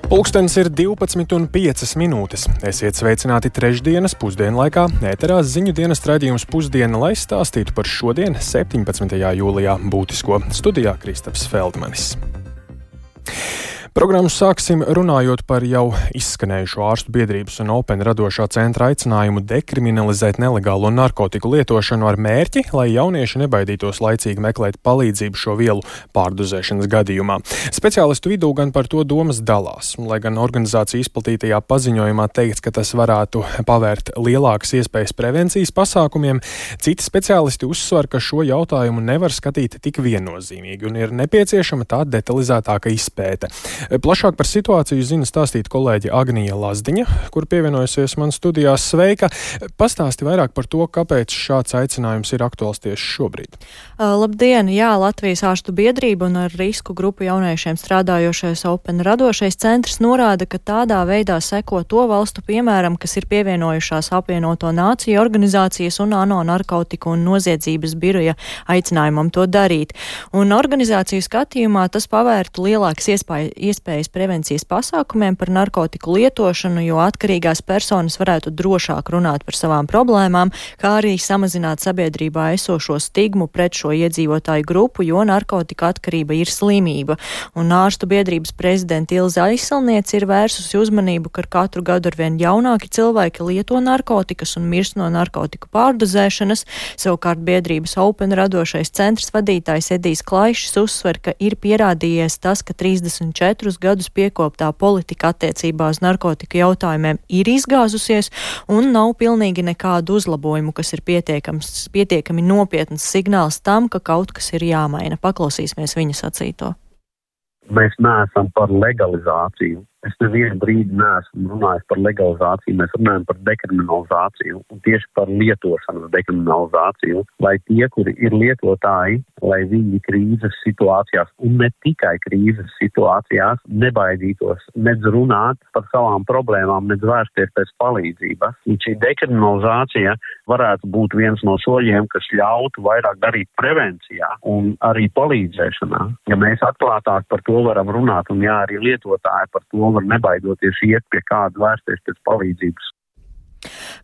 Pulkstenis ir 12,05. Esiet sveicināti trešdienas pusdienlaikā. Ēterā ziņu dienas raidījums Pusdiena, lai stāstītu par šodien, 17. jūlijā, būtisko. Studijā Kristaps Feldmanis. Programmu sāksim runājot par jau izskanējušo ārstu biedrības un Open radošā centra aicinājumu dekriminalizēt nelegālo narkotiku lietošanu ar mērķi, lai jaunieši nebaidītos laicīgi meklēt palīdzību šo vielu pārdozēšanas gadījumā. Speciālistu vidū gan par to domas dalās, lai gan organizācija izplatītajā paziņojumā teikts, ka tas varētu pavērt lielākas iespējas prevencijas pasākumiem, citi speciālisti uzsver, ka šo jautājumu nevar skatīt tik viennozīmīgi un ir nepieciešama tā detalizētāka izpēte. Plašāk par situāciju zina stāstīt kolēģe Agnija Lazdiņa, kur pievienojusies man studijās. Sveika! Pastāsti vairāk par to, kāpēc šāds aicinājums ir aktuāls tieši šobrīd. Labdien! Jā, Latvijas ārstu biedrība un ar risku grupu jauniešiem strādājošais Open radošais centrs norāda, ka tādā veidā seko to valstu piemēram, kas ir pievienojušās Apvienoto Nāciju organizācijas un ANO narkotiku un noziedzības biroja aicinājumam to darīt. Un organizāciju skatījumā tas pavērtu lielākas iespējas prevencijas pasākumiem par narkotiku lietošanu, jo atkarīgās personas varētu drošāk runāt par savām problēmām, kā arī samazināt sabiedrībā esošo stigmu pret šo iedzīvotāju grupu, jo narkotika atkarība ir slimība. Un ārstu biedrības prezidenta Ilze Aizsalniece ir vērsusi uzmanību, ka katru gadu arvien jaunāki cilvēki lieto narkotikas un mirst no narkotiku pārdozēšanas. Savukārt biedrības Open radošais centrs vadītājs Edijs Klaišs uzsver, ka ir pierādījies tas, ka 34 gadus piekoptā politika attiecībā uz narkotiku jautājumiem ir izgāzusies un nav pilnīgi nekādu uzlabojumu, kas ir pietiekami nopietns signāls tam, ka kaut kas ir jāmaina. Paklausīsimies viņa sacīto. Mēs neesam par legalizāciju. Es nevienu brīdi neesmu runājis par legalizāciju, mēs runājam par dekriminalizāciju un tieši par lietošanas dekriminalizāciju, lai tie, kuri ir lietotāji, lai viņi krīzes situācijās un ne tikai krīzes situācijās nebaidītos nedz runāt par savām problēmām, nedz vērsties pēc palīdzības. Un šī dekriminalizācija varētu būt viens no soļiem, kas ļautu vairāk darīt prevencijā un arī palīdzēšanā. Ja mēs atklātāk par to varam runāt un jā, arī lietotāji par to var nebaidoties iet pie kāda vērsties pēc palīdzības.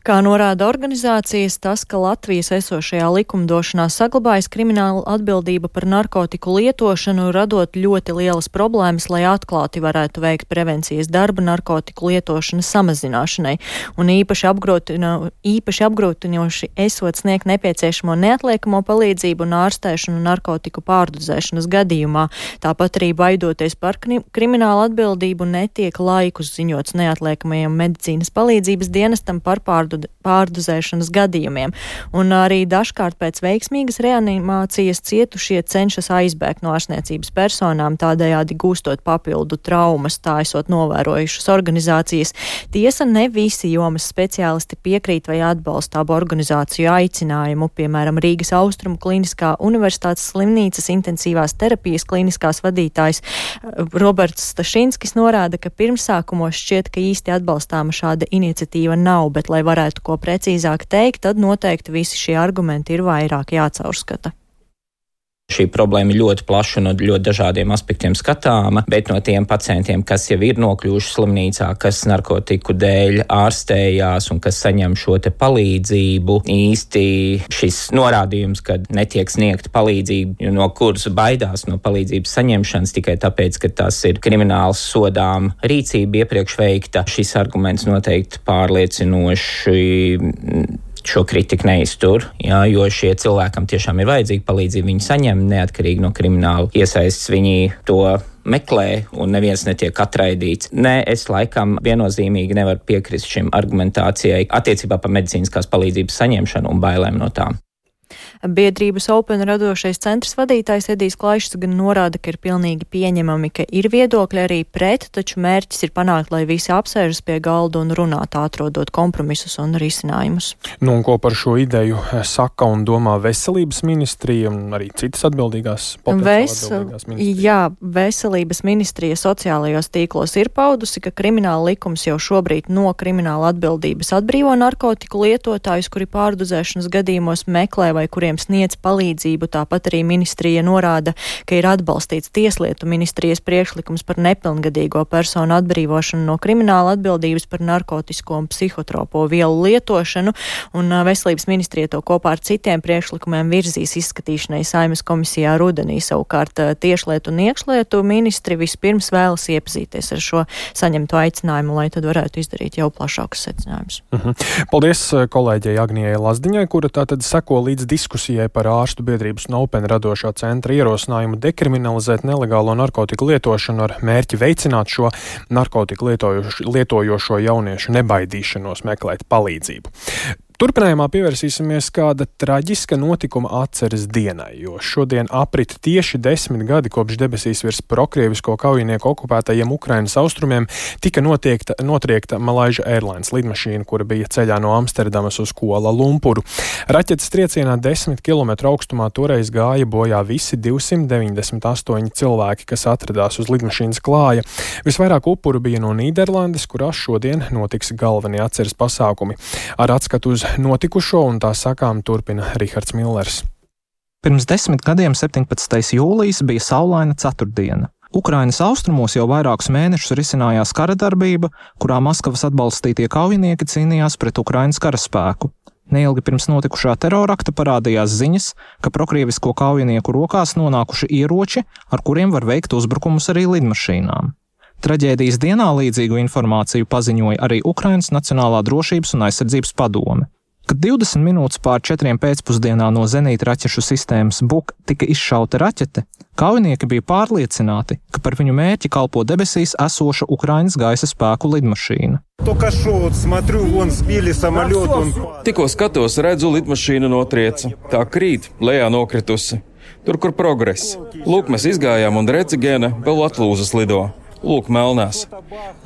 Kā norāda organizācijas, tas, ka Latvijas esošajā likumdošanā saglabājas krimināla atbildība par narkotiku lietošanu, radot ļoti lielas problēmas, lai atklāti varētu veikt prevencijas darbu narkotiku lietošanas samazināšanai. Un īpaši apgrūtinoši esot sniegt nepieciešamo neatliekamo palīdzību un ārstēšanu narkotiku pārdozēšanas gadījumā. Tāpat arī baidoties par kriminālu atbildību netiek laikus ziņots neatliekamajam medicīnas palīdzības dienestam par pārdozēšanas gadījumiem. Un arī dažkārt pēc veiksmīgas reanimācijas cietušie cenšas aizbēgt no ārstniecības personām, tādējādi gūstot papildu traumas, tā esot novērojušas organizācijas. Tiesa, ne visi jomas speciālisti piekrīt vai atbalsta abu organizāciju aicinājumu. Piemēram, Rīgas Austrumu Kliniskā universitātes slimnīcas intensīvās terapijas kliniskās vadītājs Roberts Stašinskis norāda, ka pirmsākumos šķiet, ka īsti atbalstāma šāda iniciatīva nav, bet, lai varētu ko precīzāk teikt, tad noteikti visi šie argumenti ir vairāk jācaurskata. Šī problēma ir ļoti plaša un no ļoti dažādiem aspektiem skatāma, bet no tiem pacientiem, kas jau ir nokļuvuši slimnīcā, kas narkotiku dēļ ārstējās un kas saņem šo te palīdzību, īsti šis norādījums, ka netiek sniegta palīdzība, no kuras baidās no palīdzības saņemšanas tikai tāpēc, ka tas ir krimināls sodām rīcība iepriekš veikta, šis arguments noteikti pārliecinoši šo kritiku neiztur, jo šie cilvēkam tiešām ir vajadzīga palīdzība, viņi saņem neatkarīgi no krimināla iesaistes, viņi to meklē un neviens netiek atraidīts. Nē, es laikam viennozīmīgi nevaru piekrist šim argumentācijai attiecībā par medicīniskās palīdzības saņemšanu un bailēm no tām. Biedrības Open radošais centrs vadītājs Edijs Klaišs gan norāda, ka ir pilnīgi pieņemami, ka ir viedokļi arī pret, taču mērķis ir panākt, lai visi apsēžas pie galda un runāt, atrodot kompromisus un risinājumus. Nu, un ko par šo ideju saka un domā veselības ministrija un arī citas atbildīgās ministrijas? Jā, veselības ministrija sociālajos tīklos ir paudusi, ka krimināla likums jau šobrīd no krimināla atbildības atbrīvo narkotiku lietotājus, kuri pārdozēšanas gadījumos meklē vai iedzīvotāji, kuriem sniedz palīdzību. Tāpat arī ministrija norāda, ka ir atbalstīts Tieslietu ministrijas priekšlikums par nepilngadīgo personu atbrīvošanu no krimināla atbildības par narkotisko un psihotropo vielu lietošanu, un Veselības ministrija to kopā ar citiem priekšlikumiem virzīs izskatīšanai Saeimas komisijā rudenī. Savukārt Tiešlietu un Iekšlietu ministri vispirms vēlas iepazīties ar šo saņemto aicinājumu, lai tad varētu izdarīt jau plašākus secinājumus. Paldies kolēģei Agnijai Lazdiņai, kura tātad seko līdz diskusijai par ārstu biedrības un Open radošā centra ierosinājumu dekriminalizēt nelegālo narkotiku lietošanu ar mērķi veicināt šo narkotiku lietojošo jauniešu nebaidīšanos meklēt palīdzību. Turpinājumā pievērsīsimies kāda traģiska notikuma atceres dienai, jo šodien aprit tieši 10 gadi kopš debesīs virs prokrievisko kaujinieku okupētajiem Ukrainas austrumiem tika notriekta Malaysia Airlines lidmašīna, kura bija ceļā no Amsterdamas uz Kuala Lumpuru. Raķetes triecienā 10 km augstumā toreiz gāja bojā visi 298 cilvēki, kas atradās uz lidmašīnas klāja. Visvairāk upuru bija no Nīderlandes, kurās šodien notiks galvenie atceres pasākumi. Ar atskatu uz notikušo un tā sakām turpina Rihards Millers. Pirms 10 gadiem 17. jūlijas bija saulaina ceturtdiena. Ukrainas austrumos jau vairākus mēnešus risinājās kara darbība, kurā Maskavas atbalstītie kaujinieki cīnījās pret Ukrainas karaspēku. Neilgi pirms notikušā terorakta parādījās ziņas, ka prokrievisko kaujinieku rokās nonākuši ieroči, ar kuriem var veikt uzbrukumus arī lidmašīnām. Traģēdijas dienā līdzīgu informāciju paziņoja arī Ukrainas Nacionālā drošības un aizsardzības padome. Kad 20 minūtes pār 4 pēcpusdienā no zenīta raķešu sistēmas Buk tika izšauta raķete, kaujinieki bija pārliecināti, ka par viņu mērķi kalpo debesīs esoša Ukrainas gaisa spēku lidmašīna. Tikko skatos, redzu, lidmašīna notrieca. Tā krīt, lejā nokritusi. Tur, kur progress. Lūk, mēs izgājām un Recigēna vēl atlūzas lido. Lūk, melnās.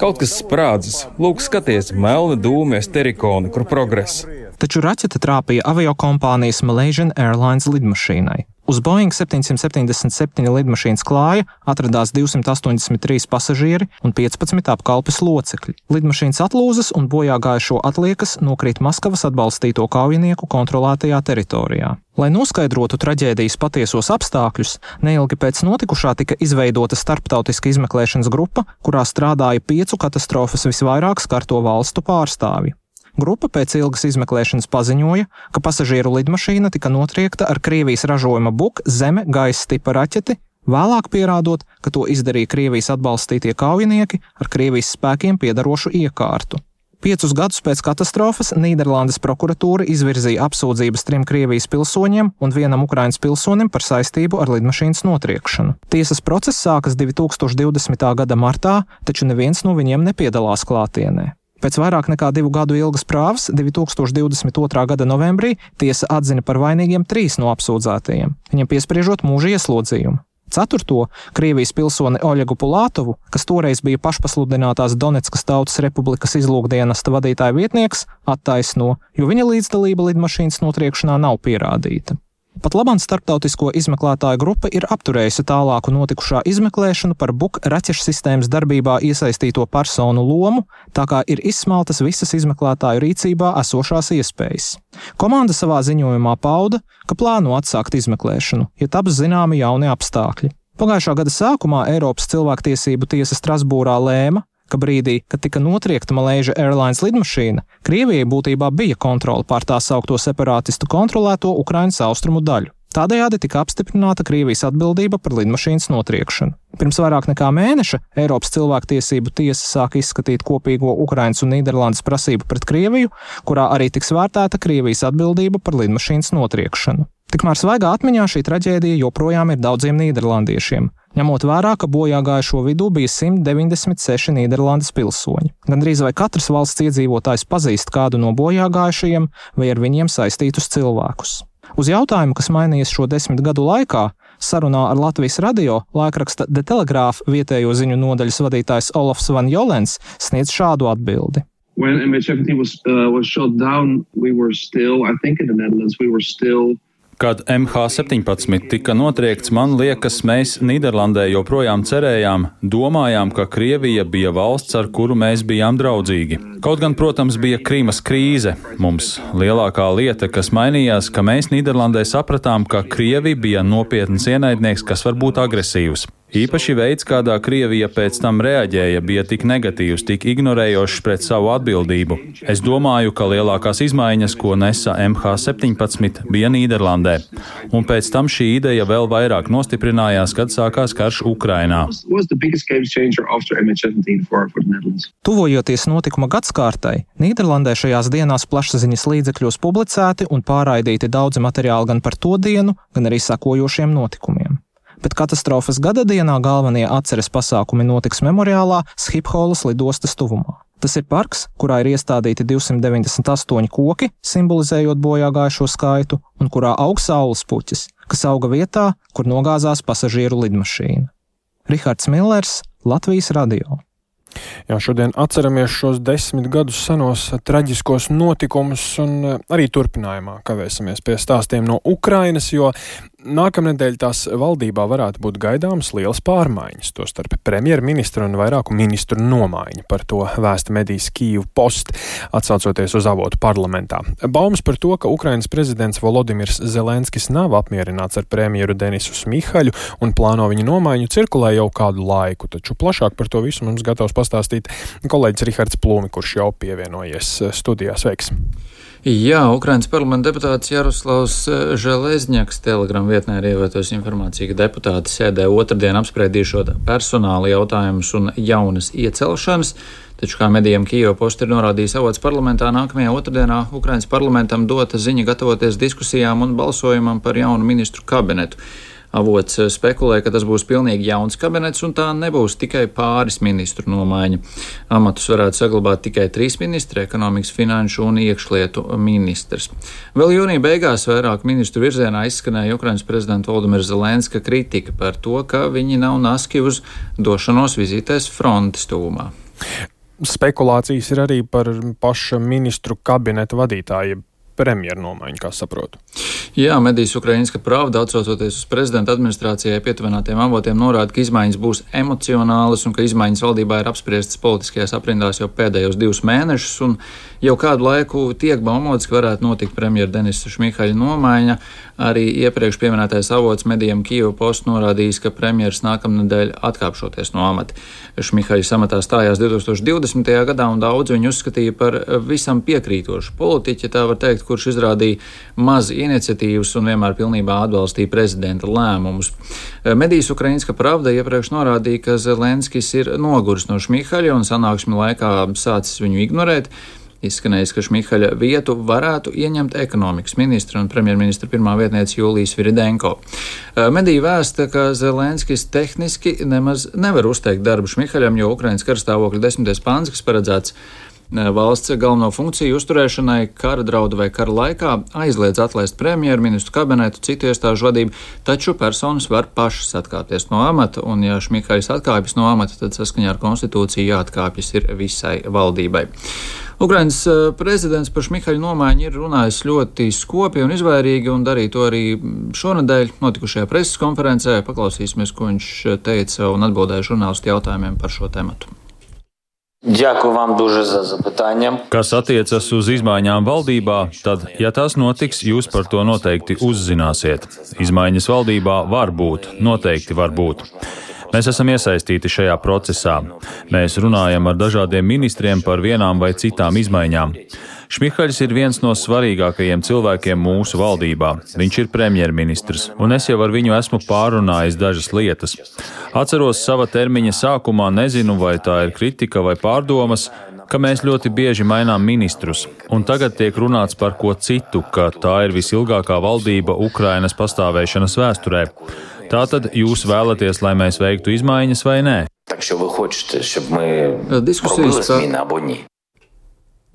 Kaut kas sprādzis. Lūk, skaties, melni dūmi, sterikoni, kur progress. Taču raķete trāpīja aviokompānijas Malaysia Airlines lidmašīnai. Uz Boeing 777 lidmašīnas klāja atradās 283 pasažieri un 15 apkalpes locekļi. Lidmašīnas atlūzas un bojāgājušo atliekas nokrīt Maskavas atbalstīto kaujinieku kontrolētajā teritorijā. Lai noskaidrotu traģēdijas patiesos apstākļus, neilgi pēc notikušā tika izveidota starptautiska izmeklēšanas grupa, kurā strādāja 5 katastrofas visvairāk skarto valstu pārstāvji. Grupa pēc ilgas izmeklēšanas paziņoja, ka pasažieru lidmašīna tika notriekta ar Krievijas ražojuma Buk zeme gaisa tipa raķeti, vēlāk pierādot, ka to izdarīja Krievijas atbalstītie kaujinieki ar Krievijas spēkiem piedarošu iekārtu. 5 gadus pēc katastrofas Nīderlandes prokuratūra izvirzīja apsūdzības 3 Krievijas pilsoņiem un 1 Ukrainas pilsonim par saistību ar lidmašīnas notriekšanu. Tiesas process sākas 2020. gada martā, taču neviens no viņiem nepiedalās klātienē. Pēc vairāk nekā 2 gadu ilgas prāvas 2022. gada novembrī tiesa atzina par vainīgiem 3 no apsūdzētajiem, viņam piespriežot mūža ieslodzījumu. 4. Krievijas pilsoni Oļegu Pulātovu, kas toreiz bija pašpasludinātās Donetskas Tautas Republikas izlūkdienesta vadītāja vietnieks, attaisno, jo viņa līdzdalība lidmašīnas notriekšanā nav pierādīta. Pat labāk starptautisko izmeklētāju grupa ir apturējusi tālāku notikušā izmeklēšanu par Buk raķešu sistēmas darbībā iesaistīto personu lomu, tā kā ir izsmeltas visas izmeklētāju rīcībā esošās iespējas. Komanda savā ziņojumā pauda, ka plāno atsākt izmeklēšanu, ja taps zināmi jauni apstākļi. Pagājušā gada sākumā Eiropas cilvēktiesību tiesa Strasbūrā lēma, ka brīdī, kad tika notriekta Malaysia Airlines lidmašīna, Krievijai būtībā bija kontrole pār tā saukto separātistu kontrolēto Ukrainas austrumu daļu. Tādējādi tika apstiprināta Krievijas atbildība par lidmašīnas notriekšanu. Pirms vairāk nekā mēneša Eiropas cilvēktiesību tiesa sāka izskatīt kopīgo Ukrainas un Nīderlandes prasību pret Krieviju, kurā arī tiks vērtēta Krievijas atbildība par lidmašīnas notriekšanu. Tikmēr svaigā atmiņā šī traģēdija joprojām ir daudziem nīderlandiešiem, ņemot vērā, ka bojāgājušo vidū bija 196 Nīderlandes pilsoņi. Gandrīz vai katrs valsts iedzīvotājs pazīst kādu no bojāgājušajiem vai ar viņiem saistītus cilvēkus. Uz jautājumu, kas mainījies šo 10 gadu laikā, sarunā ar Latvijas radio laikraksta The Telegraph vietējo ziņu nodaļas vadītājs Olofs Van Jolens sniedz šādu atbildi. When MH17 was shot down, we were still, I think in the Netherlands, we were still Kad MH17 tika notriekts, man liekas, mēs Nīderlandē joprojām cerējām, domājām, ka Krievija bija valsts, ar kuru mēs bijām draudzīgi. Kaut gan, protams, bija Krīmas krīze. Mums lielākā lieta, kas mainījās, ka mēs Nīderlandē sapratām, ka Krievija bija nopietns ienaidnieks, kas var būt agresīvs. Īpaši veids, kādā Krievija pēc tam reaģēja, bija tik negatīvs, tik ignorējošs pret savu atbildību. Es domāju, ka lielākās izmaiņas, ko nesa MH17, bija Nīderlandē. Un pēc tam šī ideja vēl vairāk nostiprinājās, kad sākās karš Ukrainā. Tuvojoties notikuma gadskārtai, Nīderlandē šajās dienās plašsaziņas līdzekļos publicēti un pārraidīti daudzi materiāli gan par to dienu, gan arī sekojošiem notikumiem. Bet katastrofas gada dienā galvenie atceres pasākumi notiks memoriālā Schipholas lidostas tuvumā. Tas ir parks, kurā ir iestādīti 298 koki, simbolizējot bojā gājušo skaitu, un kurā aug saules puķis, kas auga vietā, kur nogāzās pasažieru lidmašīna. Rihards Millers, Latvijas radio. Jā, šodien atceramies šos 10 gadus senos traģiskos notikumus un arī turpinājumā kavēsimies pie stāstiem no Ukrainas, jo nākamnedēļ tās valdībā varētu būt gaidāmas lielas pārmaiņas, tostarp premjerministra un vairāku ministru nomaiņa. Par to vēsta medijas Kyiv Post, atsaucoties uz avotu parlamentā. Baumas par to, ka Ukrainas prezidents Volodimirs Zelenskis nav apmierināts ar premjeru Denisu Šmihaļu un plāno viņa nomaiņu, cirkulē jau kādu laiku, taču plašāk par to visu mums gatavs pastāstīt kolēģis Rihards Plūmi, kurš jau pievienojies studijā. Sveiks! Jā, Ukrainas parlamenta deputāts Jaroslavs Železņaks Telegram vietnē ir ievietojusi informāciju, ka deputāti sēdē otrdien apspriedīšot personāla jautājumus un jaunas iecelšanas. Taču, kā medijam Kyiv Post ir norādījis avots parlamentā, nākamajā otrdienā Ukrainas parlamentam dota ziņa gatavoties diskusijām un balsojumam par jaunu ministru kabinetu. Avots spekulē, ka tas būs pilnīgi jauns kabinets un tā nebūs tikai pāris ministru nomaiņa. Amatus varētu saglabāt tikai 3 ministri - ekonomikas, finanšu un iekšlietu ministrs. Vēl jūnija beigās vairāk ministru virzienā izskanēja Ukrainas prezidenta Volodimira Zelenska kritika par to, ka viņi nav naski uz došanos vizītēs frontes tuvumā. Spekulācijas ir arī par paša ministru kabineta vadītāju premjeru nomaiņu, kā saprotu. Jā, medijas Ukrainska Pravda, atsaucoties uz prezidenta administrācijai pietuvinātiem avotiem, norāda, ka izmaiņas būs emocionālas un ka izmaiņas valdībā ir apspriestas politiskajās aprindās jau pēdējos 2 mēnešus, un jau kādu laiku tiek baumots, ka varētu notikt premjera Denisa Šmihaļa nomaiņa. Arī iepriekš pieminētais avots medijam Kyiv Post norādījis, ka premjeras nākamnedēļ atkāpšoties no amata. Šmihaļs amatā stājās 2020. gadā, un daudz viņu uzskatīja par visam piekrītošu politiķi, tā var teikt, kurš izrādīja maz iniciatīvas un vienmēr pilnībā atbalstīja prezidenta lēmumus. Medijas Ukrainska Pravda iepriekš norādīja, ka Zelenskis ir noguris no Šmihaļa un sanāksmi laikā sācis viņu ignorēt. Izskanējis, ka Šmihaļa vietu varētu ieņemt ekonomikas ministra un premjerministra pirmā vietniece Julija Sviridenko. Medija vēsta, ka Zelenskis tehniski nemaz nevar uzteikt darbu Šmihaļam, jo Ukrainas karstāvokļa 10. pants, kas paredzēts valsts galveno funkciju uzturēšanai kara draudu vai kara laikā, aizliedz atlaist premjeru, ministru kabinetu, citu iestāžu vadību, taču personas var pašas atkāpties no amata, un ja Šmihaļs atkāpjas no amata, tad saskaņā ar konstitūciju jāatkāpjas ir visai valdībai. Ukrainas prezidents par Šmihaļa nomaiņu ir runājis ļoti skopi un izvairīgi, un darīja to arī šonedēļ notikušajā preses konferencē. Paklausīsimies, ko viņš teica un atbildēja žurnālistu jautājumiem par šo tematu. Kas attiecas uz izmaiņām valdībā, tad, ja tas notiks, jūs par to noteikti uzzināsiet. Izmaiņas valdībā var būt, noteikti var būt. Mēs esam iesaistīti šajā procesā. Mēs runājam ar dažādiem ministriem par vienām vai citām izmaiņām. Šmihaļs ir viens no svarīgākajiem cilvēkiem mūsu valdībā. Viņš ir premjerministrs, un es jau ar viņu esmu pārunājis dažas lietas. Atceros sava termiņa sākumā, nezinu, vai tā ir kritika vai pārdomas, ka mēs ļoti bieži mainām ministrus, un tagad tiek runāts par ko citu, ka tā ir visilgākā valdība Ukrainas pastāvēšanas vēsturē. Tātad jūs vēlaties, lai mēs veiktu izmaiņas vai nē? Diskusijas par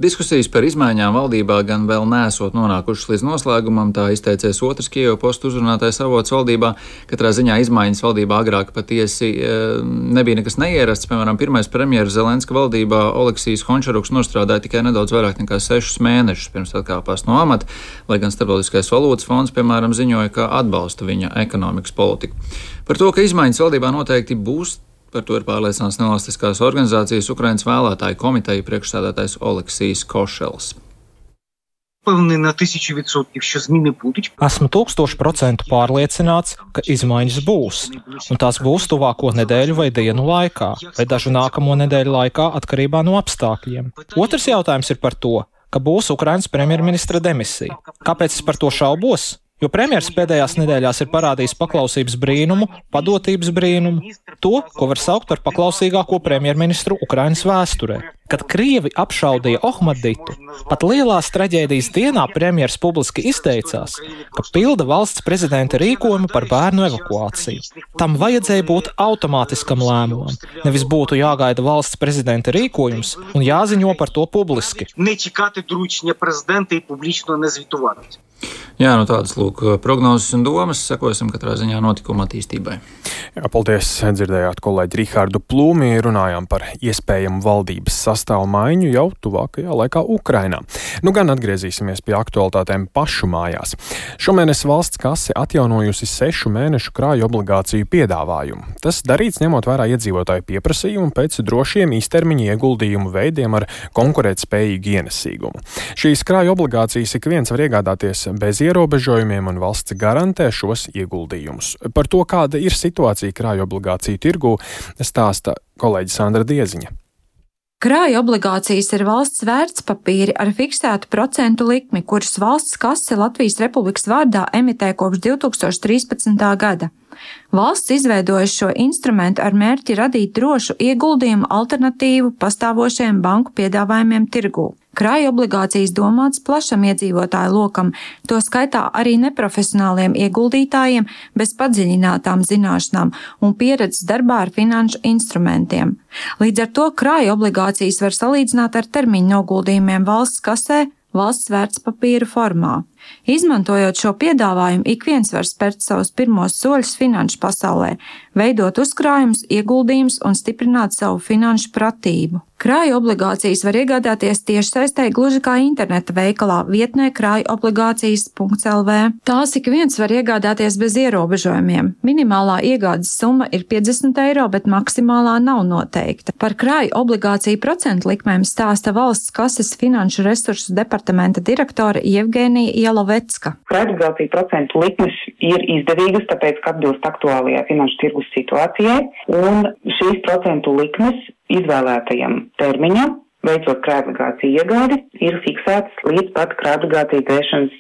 Diskusijas par izmaiņām valdībā gan vēl neesot nonākušas līdz noslēgumam, tā izteicies otrs Kijevu Postu uzrunātais avots valdībā. Katrā ziņā izmaiņas valdībā agrāk patiesi nebija nekas neierasts. Piemēram, pirmais premjeras Zelenska valdībā Oleksijs Hončaruks nostrādāja tikai nedaudz vairāk nekā 6 mēnešus pirms atkāpās no amata, lai gan Starptautiskais valūtas fonds, piemēram, ziņoja, ka atbalsta viņa ekonomikas politiku. Par to, ka izmaiņas valdībā noteikti būs, par to ir pārliecināts nevalstiskās organizācijas Ukrainas vēlētāju komiteja priekšsēdētājs Oleksijs Košels. Esmu 1000% pārliecināts, ka izmaiņas būs, un tās būs tuvāko nedēļu vai dienu laikā, vai dažu nākamo nedēļu laikā atkarībā no apstākļiem. Otrs jautājums ir par to, ka būs Ukrainas premjerministra demisija. Kāpēc es par to šaubos? Jo premjers pēdējās nedēļās ir parādījis paklausības brīnumu, padotības brīnumu, to, ko var saukt par paklausīgāko premjerministru Ukrainas vēsturē. Kad Krievi apšaudīja Ohmaditu, pat lielās traģēdijas dienā premjers publiski izteicās, ka pilda valsts prezidenta rīkojumu par bērnu evakuāciju. Tam vajadzēja būt automātiskam lēmumam, nevis būtu jāgaida valsts prezidenta rīkojums un jāziņo par to publiski. Jā, tādas lūk prognozes un domas, sekosim katrā ziņā notikuma attīstībai. Jā, paldies, dzirdējāt kolēģi Rihardu Plūmi, runājām par iespējamu valdības sastāvu maiņu jau tuvākajā laikā Ukrainā. Gan atgriezīsimies pie aktualitātēm pašu mājās. Šomēnes valsts kase atjaunojusi 6 mēnešu krāju obligāciju piedāvājumu. Tas darīts ņemot vērā iedzīvotāju pieprasījumu pēc drošiem īstermiņa ieguldījumu veidiem ar konkurētspējīgu ienesīgumu. Šīs krāju obligācijas ik viens var iegādāties bez ierobežojumiem un valsts garantē šos ieguldījumus. Par to, kāda ir situācija krāju obligāciju tirgū, stāsta kolēģi Sandra Dieziņa. Krāju obligācijas ir valsts vērtspapīri ar fiksētu procentu likmi, kuras valsts kase Latvijas Republikas vārdā emitē kopš 2013. gada. Valsts izveidojusi šo instrumentu ar mērķi radīt drošu ieguldījumu alternatīvu pastāvošajiem banku piedāvājumiem tirgū. Krāju obligācijas domāts plašam iedzīvotāju lokam, to skaitā arī neprofesionāliem ieguldītājiem bez padziļinātām zināšanām un pieredzes darbā ar finanšu instrumentiem. Līdz ar to krāju obligācijas var salīdzināt ar termiņu noguldījumiem valsts kasē, valsts vērtspapīru formā. Izmantojot šo piedāvājumu, ik viens var spērt savus pirmos soļus finanšu pasaulē, veidot uzkrājumus, ieguldījumus un stiprināt savu finanšu pratību. Krāju obligācijas var iegādāties tiešsaistē gluži kā interneta veikalā vietnē krājobligācijas.lv. Tās ik viens var iegādāties bez ierobežojumiem. Minimālā iegādes summa ir 50 eiro, bet maksimālā nav noteikta. Par krāju obligāciju procentu likmēm stāsta valsts kases finanšu resursu departamenta direktore Jevgenija Jelovecka. Krājobligāciju procentu likmes ir izdevīgas, tāpēc, ka atbilst aktuālajai finanšu tirgus situācijai, un šīs procentu likmes izvēlētajam termiņam, veicot krājobligāciju iegādi, ir fiksētas līdz pat krājobligāciju dzēšanas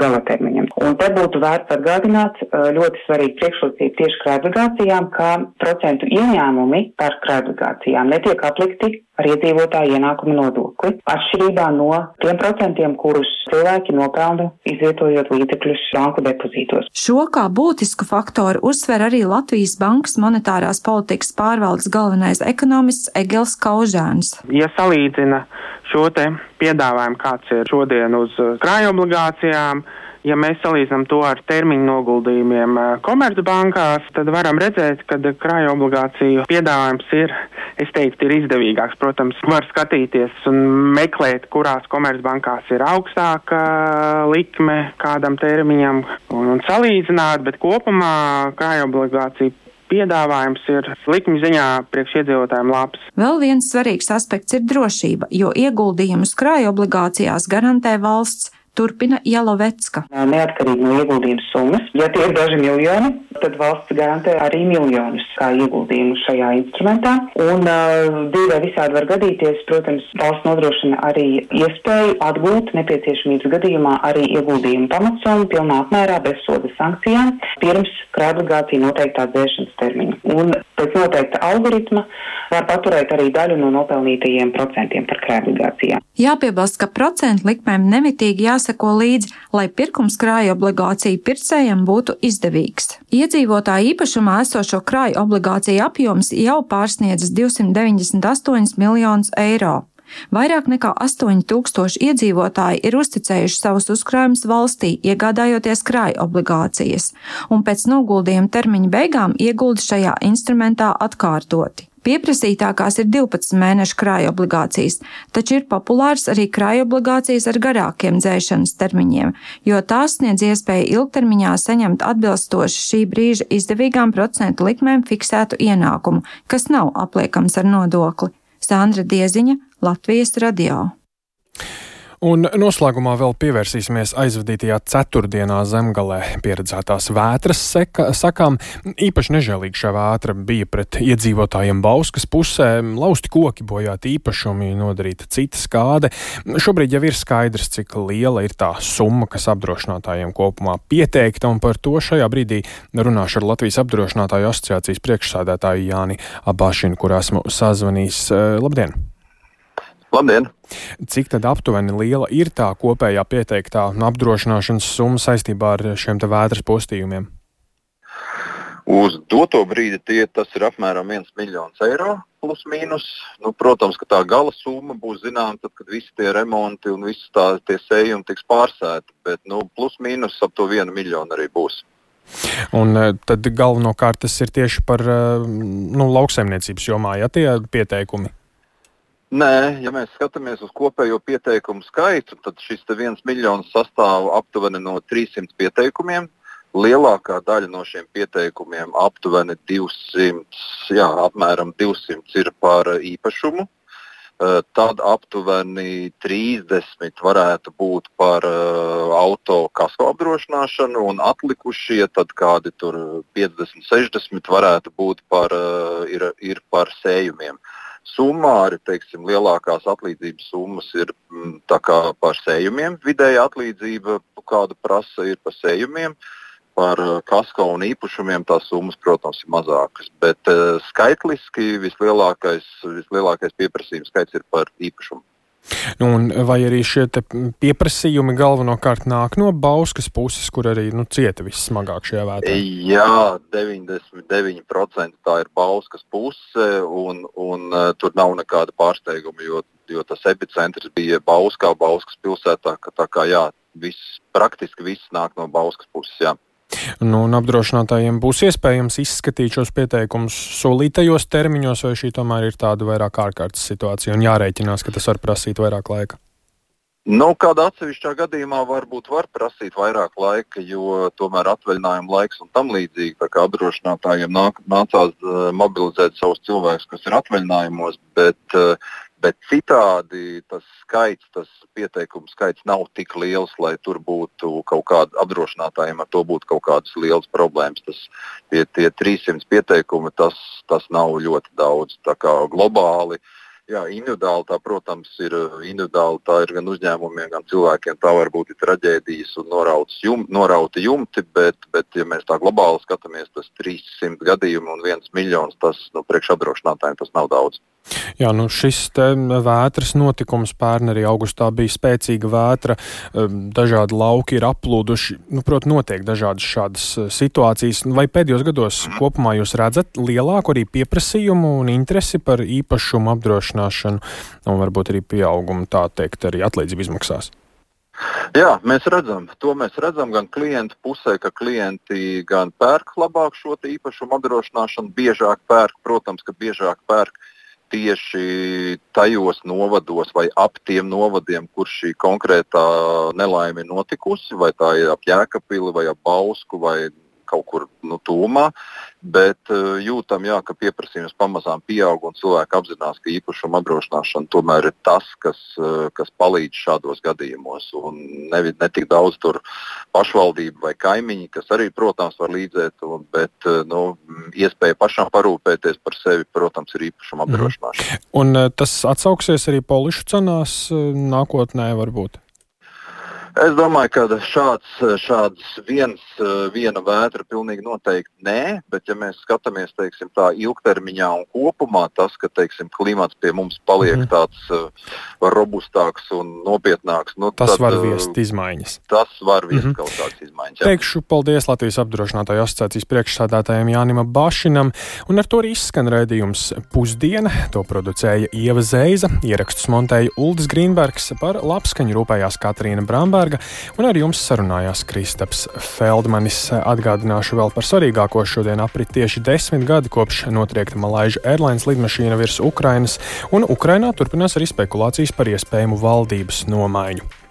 galatermiņam. Un te būtu vērts atgādināt ļoti svarīgi priekšrocību tieši krājobligācijām, ka procentu ieņēmumi par krājobligācijām netiek aplikti ar iedzīvotāju ienākumu nodokli, atšķirībā no tiem procentiem, kurus cilvēki nopelna izvietojot līdzekļus banku depozītos. Šo kā būtisku faktoru uzsver arī Latvijas Bankas monetārās politikas pārvaldes galvenais ekonomists Egils Kaužēns. Ja salīdzina šo te piedāvājumu, kāds ir šodien uz krājobligācijām, ja mēs salīdzinām to ar termiņu noguldījumiem komercbankās, tad varam redzēt, ka krājobligāciju piedāvājums ir izdevīgāks. Protams, var skatīties un meklēt, kurās komercbankās ir augstāka likme kādam termiņam un salīdzināt, bet kopumā krājobligāciju piedāvājums ir likmi ziņā priekš iedzīvotājiem labs. Vēl viens svarīgs aspekts ir drošība, jo ieguldījumus krājobligācijās garantē valsts. Turpina Jelovecka. Neatkarīgi no ieguldījuma summas, ja tie ir daži miljoni, tad valsts garantē arī miljonus kā ieguldījumu šajā instrumentā. Un dzīvē visādi var gadīties, protams, valsts nodrošina arī iespēju atgūt nepieciešamības gadījumā arī ieguldījumu pamatsummu pilnā apmērā bez soda sankcijām pirms krājobligācija noteiktā dzēšanas termiņa. Un pēc noteikta algoritma var paturēt arī daļu no nopelnītajiem procentiem par krājobligācijām. Jāpiebilst, ka procentu likmēm nemitīgi jāseko līdzi, lai pirkums krājobligāciju pircējiem būtu izdevīgs. Iedzīvotāju īpašumā esošo krājobligāciju apjoms jau pārsniedzis 298 miljonus eiro. Vairāk nekā 8000 iedzīvotāji ir uzticējuši savus uzkrājumus valstī, iegādājoties krāja obligācijas, un pēc noguldījuma termiņa beigām iegulda šajā instrumentā atkārtoti. Pieprasītākās ir 12 mēnešu krāja obligācijas, taču ir populārs arī krāja obligācijas ar garākiem dzēšanas termiņiem, jo tās sniedz iespēju ilgtermiņā saņemt atbilstoši šī brīža izdevīgām procentu likmēm fiksētu ienākumu, kas nav apliekams ar nodokli. Sandra Dieziņa, Latvijas radio. Un noslēgumā vēl pievērsīsimies aizvadītajā ceturtdienā Zemgalē pieredzētās vētras sakām. Īpaši nežēlīgi šā vētra bija pret iedzīvotājiem Bauskas pusē, lausti koki, bojāti īpašumi, nodarīta cita skāde. Šobrīd jau ir skaidrs, cik liela ir tā summa, kas apdrošinātājiem kopumā pieteikta, un par to šajā brīdī runāšu ar Latvijas apdrošinātāju asociācijas priekšsēdētāju Jāni Abāšinu, kur esmu sazvanījis. Labdien! Labdien! Cik tad aptuveni liela ir tā kopējā pieteiktā apdrošināšanas summa saistībā ar šiem te vētras postījumiem? Uz doto brīdi tas ir apmēram 1 miljons eiro plus mīnus. Protams, ka tā gala summa būs zināma tad, kad visi tie remonti un visi tie sējumi tiks pārsēti, bet plus mīnus ap to 1 miljonu arī būs. Un tad galvenokārt tas ir tieši par lauksaimniecības jomā, ja tie pieteikumi? Nē, ja mēs skatāmies uz kopējo pieteikumu skaitu, tad šis 1 miljons sastāv aptuveni no 300 pieteikumiem. Lielākā daļa no šiem pieteikumiem, aptuveni 200, apmēram 200 ir par īpašumu. Tad aptuveni 30 varētu būt par auto kasko apdrošināšanu, un atlikušie tad kādi tur 50-60 varētu būt ir par sējumiem. Summāri, lielākās atlīdzības summas ir tā kā par sējumiem. Vidēja atlīdzība, kāda prasa, ir par sējumiem. Par kasko un īpašumiem tās summas, protams, ir mazākas. Bet skaitliski vislielākais pieprasījums skaits ir par īpašumu. Un vai arī šie pieprasījumi galvenokārt nāk no Bauskas puses, kur arī cieta vissmagāk šajā vētrā? Jā, 99% tā ir Bauskas puse, un tur nav nekāda pārsteiguma, jo tas epicentrs bija Bauskas pilsētā, praktiski viss nāk no Bauskas puses, jā. Un apdrošinātājiem būs iespējams izskatīt šos pieteikumus solītajos termiņos, vai šī tomēr ir tāda vairāk ārkārtas situācija un jārēķinās, ka tas var prasīt vairāk laika? Kādā atsevišķā gadījumā var prasīt vairāk laika, jo tomēr atvaļinājuma laiks un tam līdzīgi, tā kā apdrošinātājiem nācās mobilizēt savus cilvēkus, kas ir atvaļinājumos, bet citādi tas pieteikumu skaits nav tik liels, lai tur būtu kaut kāda apdrošinātājiem ar to būtu kaut kādas lielas problēmas. Tie 300 pieteikumi, tas nav ļoti daudz. Tā kā globāli, individuāli tā, protams, ir individuāli, tā ir gan uzņēmumiem, gan cilvēkiem, tā varbūt ir traģēdijas un norauti jumti, bet ja mēs tā globāli skatāmies, tas 300 gadījumu un 1 miljons, tas priekš apdrošinātājiem tas nav daudz. Jā, šis te vētras notikums pērn arī augustā bija spēcīga vētra, dažādi lauki ir aplūduši, notiek dažādas šādas situācijas. Vai pēdējos gados kopumā jūs redzat lielāku arī pieprasījumu un interesi par īpašumu apdrošināšanu un varbūt arī pieaugumu, tā teikt, arī atlīdzību izmaksās? Jā, mēs redzam gan klientu pusē, ka klienti gan pērk labāk šo īpašumu apdrošināšanu, biežāk pērk, protams, ka biežāk pērk tieši tajos novados vai ap tiem novadiem, kur šī konkrētā nelaime ir notikusi, vai tā ir ap Jēkabpili vai ap Bausku vai kaut kur tūmā, bet jūtam, ka pieprasījums pamazām pieaug un cilvēki apzinās, ka īpašuma apdrošināšana tomēr ir tas, kas palīdz šādos gadījumos. Un ne tik daudz tur pašvaldība vai kaimiņi, kas arī, protams, var līdzēt, bet iespēja pašām parūpēties par sevi, protams, ir īpašuma apdrošināšana. Un tas atsauksies arī polišu cenās nākotnē varbūt? Es domāju, ka šāds viena vētra pilnīgi noteikti nē, bet ja mēs skatāmies, teiksim, tā ilgtermiņā un kopumā, tas, ka, teiksim, klimats pie mums paliek tāds robustāks un nopietnāks, tas var viest izmaiņas. Tas var viest kaut kādas izmaiņas. Jā. Teikšu paldies Latvijas apdrošinātāju asociācijas priekšsādātājiem Jānim Bašinam, un ar to arī izskan raidījums Pusdiena. To producēja Ieva Zeiza, ierakstus montēja Uldis Grīnbergs, par labskaņu rūpējās Katrīna Bramberga, un ar jums sarunājās Kristaps Feldmanis. Atgādināšu vēl par svarīgāko: šodien aprit tieši 10 gadi kopš notriekta Malaysia Airlines lidmašīna virs Ukrainas, un Ukrainā turpinās arī spekulācijas par iespējamu valdības nomaiņu.